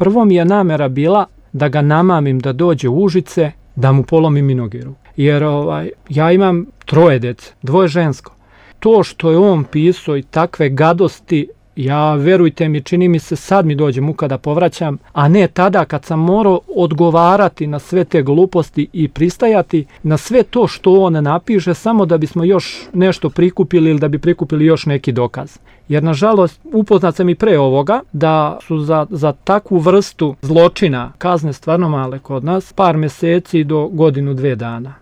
Prvo mi je namera bila da ga namamim da dođe u Užice, da mu polomim i noge. Jer ja imam 3 djece, 2 žensko. To što je on pisao i takve gadosti, ja, verujte mi, čini mi se sad mi dođe muka da povraćam, a ne tada kad sam morao odgovarati na sve te gluposti i pristajati na sve to što on napiše samo da bismo još nešto prikupili ili da bi prikupili još neki dokaz. Jer nažalost upoznat sam i pre ovoga da su za takvu vrstu zločina kazne stvarno male kod nas, par mjeseci do 1-2 dana.